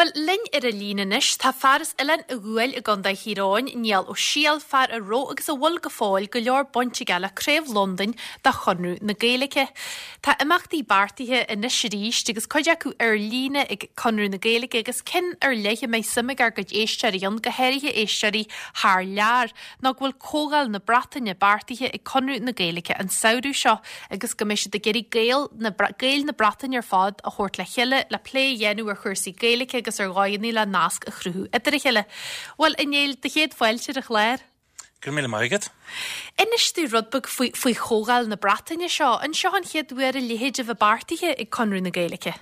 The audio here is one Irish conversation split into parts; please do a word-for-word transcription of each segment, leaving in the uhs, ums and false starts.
Bhuel, linn ar an líne anois, tá fear as Oileán an Ghuail i gContae Thír Eoghain, Niall Ó Siadhail, fear a raibh agus a bhfuil go fóill go leor baint aige le Craobh Londain de Chonradh na Gaeilge. Tá imeachtaí beartaithe anois arís agus cuid acu ar líne ag Conradh na Gaeilge agus cinn ar leith a mbeidh suim ag ár gcuid éisteoirí ann, go háirithe éisteoirí thar lear, ná go bhfuil Comhdháil na Breataine beartaithe ag Conradh na Gaeilge an samhradh seo agus go mbeidh siad ag iarraidh Gaeil na, Gaeil na Breataine ar fad a thabhairt le chéile le plé a dhéanamh ar chúrsaí Gaeilge agus ar dhóigheanna le nasc a chruthú idir a chéile. Bhuel, a Néill, do chéad fáilte ar an chlár. Go raibh míle maith agat. Inis dúinn rud beag faoi, faoi Chomhdháil na Breataine seo, an seo an chéad uair a leithéid a bheith beartaithe ag Conradh na Gaeilge.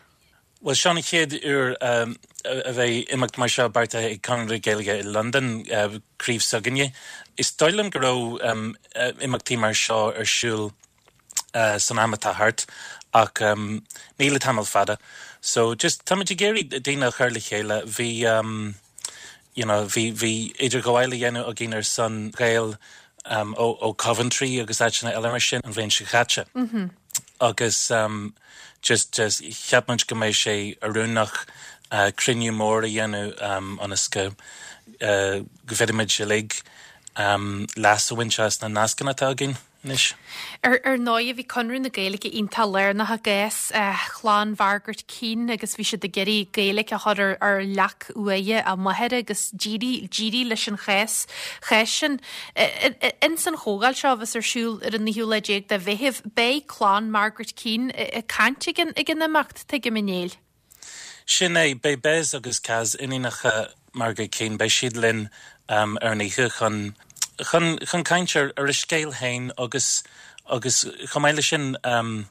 Well seo an chéad uair um, a bheidh imeacht mar seo beartaithe ag Conradh na Gaeilge i Londain uh, craobh s'againne. Is dóigh liom go raibh um, imeachtaí mar seo ar siúl uh, san am atá thart ach um, ní le tamall fada. So just táimid ag iarraidh daoine a chur le chéile bhí um, you know, bhí bhí idirghabháil á dhéanamh againn ar son Gael um, ó, ó Coventry agus áiteanna eile mar sin an bhliain seo caite. Mm -hmm. Agus um, just just cheap muid go mbeidh sé oiriúnach uh, cruinniú mór a dhéanamh um, ionas go uh, go bhféadfaimid uilig um, leas a bhaint as na nascanna atá againn. Anois. Ar ar ndóigh bhí Conradh na Gaeilge iontach lárnach i gcás uh, chlann Mhargaret Keane agus bhí siad ag iarraidh Gaeilge a chur ar, ar leac uaighe a máthar agus d'éirigh d'éirigh leis an chás chás sin. In san chomhdháil seo a bheas ar siúl ar an naoú lá déag de Mheitheamh beidh clann Margaret Keane ag caint ag an ag an imeacht tuigim a Néill. Sin é beidh Bez agus Caz iníonacha Margaret Keane beidh siad linn um, ar an oíche chun chun chun caint ar ar a scéal féin agus agus chomh maith leis sin um,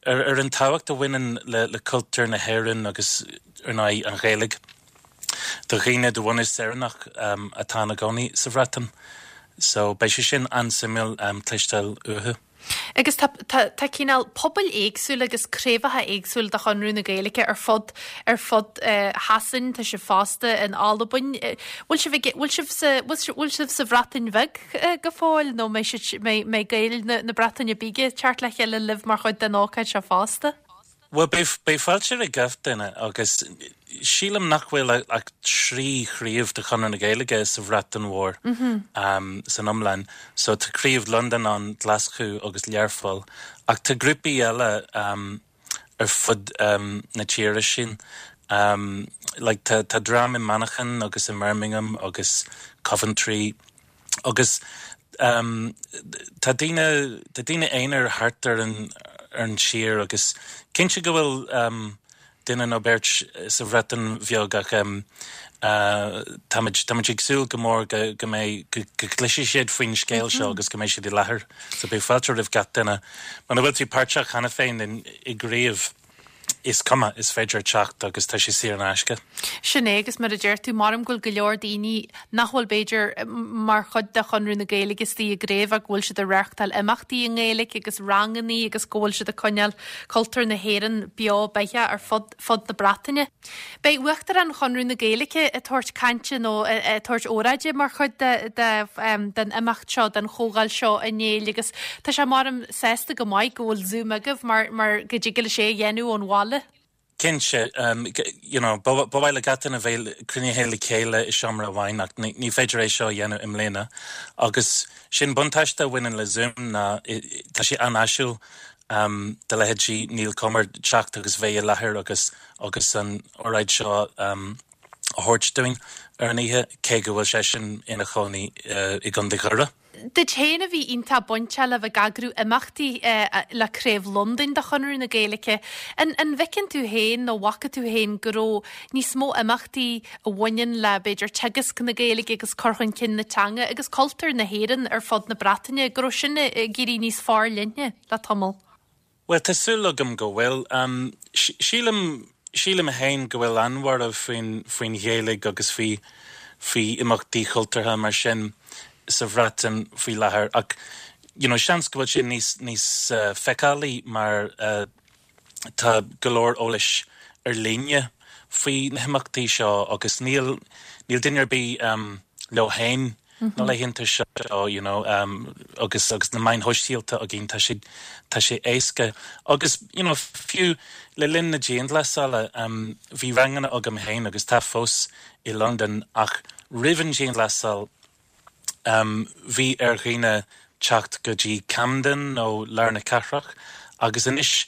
ar, ar an tábhacht a bhaineann le, le cultúr na hÉireann agus ar ndóigh an Ghaeilge. Do dhaoine de bhunús Éireannach um, atá ina gcónaí sa Bhreatain. So beidh sé sin an-suimiúil um, cloisteáil uathu. Agus tá, tá, tá cineál pobail éagsúil agus craobhacha éagsúil de Chonradh na Gaeilge ar fud ar fud uh, Shasain tá sibh fosta in Albain. Bhfuil sibh bhfuil sibh sa bhfuil sibh sa Bhreatain Bheag uh, go fóill nó mbeidh mbeidh Gaeil na, na Breataine Bige teacht le chéile libh mar chuid den ócáid seo fosta? Well beidh fáilte roimh gach duine agus sílim nach bhfuil ach trí chraobh de Chonradh na Gaeilge sa Bhreatain Mhór mm -hmm. um, san iomlán, so tá craobh Londain an Glaschú agus Learpholl ach tá grúpaí eile um, ar fud um, na tíre sin. Um, like tá tá dream i Manchain agus i Birmingham agus Coventry agus um, tá daoine tá daoine aonair thart ar an ar an tír agus cinnte go bhfuil um, duine nó beirt sa Bhreatain Bheag ach um, uh, táimid ag súil go mór go go mbeidh go gcloisfidh siad faoin scéal seo agus go mbeidh siad i láthair so beidh fáilte roimh gach duine Muna bhfuil tú páirteach cheana féin i gcraobh is cuma is féidir teacht agus tá sé saor in aisce. Sin é agus mar a deir tú mar go bhfuil go leor daoine nach bhfuil b'fhéidir mar chuid de Chonradh na Gaeilge istigh i gcraobh ach bhfuil siad ag reáchtáil imeachtaí i nGaeilge agus ranganna agus go bhfuil siad ag coinneáil cultúr na hÉireann beo beathach ar fud fud na Breataine. Beidh Uachtarán Chonradh na Gaeilge ag tabhairt cainte nó ag tabhairt óráide mar chuid de, de, um, den imeacht seo den chomhdháil seo a Néill agus tá sé mar sásta go maith go bhfuil Zoom agaibh mar, mar go dtig leis é a dhéanamh ón bhaile. Cinnte um, you know, ba mhaith le gach duine bheith cruinnithe le chéile i seomra amháin ach ní, ní féidir é seo dhéanamh i mbliana. Agus sin buntáiste a bhaineann le Zoom ná tá sé an-áisiúil um, do leithéidí Niall Comer teacht agus bheith i láthair agus agus an óráid seo um, a thabhairt dúinn ar an oíche cé go bhfuil sé sin ina chónaí uh, i gContae Dhoire. Duit féin a bhí iontach bainteach le bheith ag eagrú imeachtaí uh, le Craobh Londain de Chonradh na Gaeilge. An, an bhfeiceann tú féin nó bhfaca tú féin go raibh níos mó imeachtaí a bhaineann le b'fhéidir teagasc na Gaeilge agus cur chun cinn na teanga agus cultúr na hÉireann ar fud na Breataine, go raibh sin ag éirí níos forleithne le tamall. Well tá súil agam go bhfuil um, sílim sílim féin go bhfuil an-bhorradh faoin faoin Ghaeilge agus faoi faoi imeachtaí cultúrtha mar sin sa Bhreatain faoi láthair ach you know, seans go bhfuil sé níos níos uh, feiceálaí mar uh, tá go leor eolais ar líne faoi na himeachtaí seo agus níl níl duine ar bith um, leo féin na laethanta seo you know um, agus agus na meáin shóisialta againn tá sé tá sé éasca agus you know fiú le linn na dianghlasála um, bhí ranganna agam féin agus tá fós i London ach roimh an dianghlasáil um, bhí ar dhaoine teacht go dtí Camden nó lár na cathrach agus anois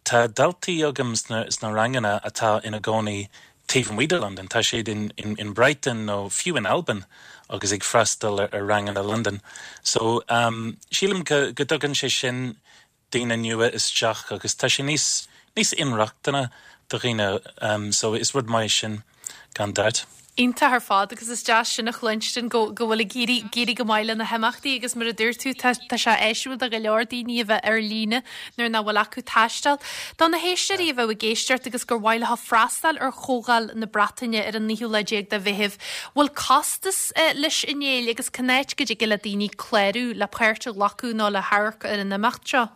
tá daltaí agam sna, sna ranganna atá ina gcónaí taobh amuigh de London tá siad in, in, in Brighton nó fiú in Albain agus ag freastal ar, ar ranganna London. So um, sílim go, go dtugann sé sin daoine nua isteach agus tá sé níos níos inrochtana do dhaoine um, so is rud maith sin gan dabht. Iontach ar fad agus is deas sin a chluinstin go go bhfuil ag éirí go maith le na himeachtaí agus mar a dúirt tú tá sé áisiúil do go leor daoine a bheith ar líne nuair nach bhfuil acu taisteal. Do na héisteoirí a bheith ag éisteacht agus gur mhaith leo freastal ar Chomhdháil na Breataine ar an naoú lá déag de Mheitheamh. Bhfuil costas eh, leis a Néill agus cá háit go dtig le daoine clárú le páirt a ghlacadh nó le hamharc ar an imeacht seo.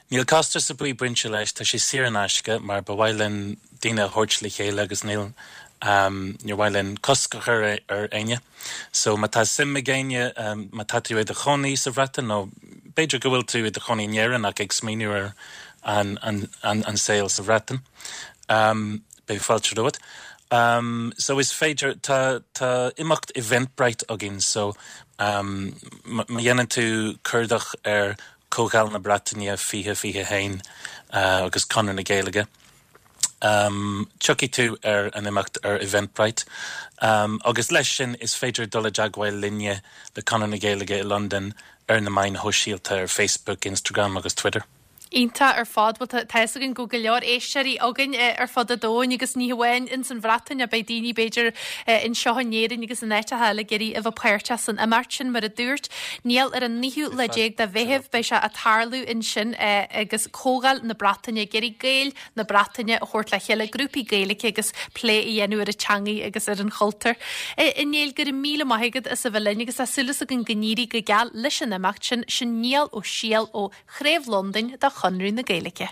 Níl costas ar bith bainte leis tá sé saor in aisce mar ba mhaith linn daoine a thabhairt le chéile agus níl um, níor mhaith linn cosc a chur ar éinne. So má tá suim ag éinne um, má tá tú i do chónaí sa Bhreatain nó b'fhéidir go bhfuil tú i do chónaí in Éirinn ach ag smaoineamh ar an, an, an, an saol sa Bhreatain. Um, Beidh fáilte romhat. Um, so is féidir tá tá imeacht Eventbrite againn so um, má dhéanann tú cuardach ar Comhdháil na Breataine fiche fiche haon uh, agus Conradh na Gaeilge. Um, Tiocfaidh tú ar an imeacht ar Eventbrite. Um, agus leis sin is féidir dul i dteagmháil linne le Conradh na Gaeilge i London ar na meáin shóisialta ar Facebook, Instagram agus Twitter. Iontach ar fad tá againn go go leor éisteoirí againn eh, ar fud an domhain agus ní hamháin in san Bhreatain a beidh daoine b'fhéidir eh, anseo in Éirinn agus in áiteacha eile ag iarraidh a bheith páirteach san imeacht sin mar a dúirt Niall ar an naoú lá déag de Mheitheamh beidh sé ag tarlú ansin eh, agus Comhdháil na Breataine ag iarraidh Gaeil na Breataine a thabhairt le chéile grúpaí Gaeilge agus plé a dhéanamh ar an teanga agus ar an chultúr. A Néill go raibh míle maith agat as a bheith linn agus tá súil againn go n-éirí go geal leis an imeacht sin sin Niall Ó Siadhail ó Chraobh Londain de Chonradh na Gaeilge.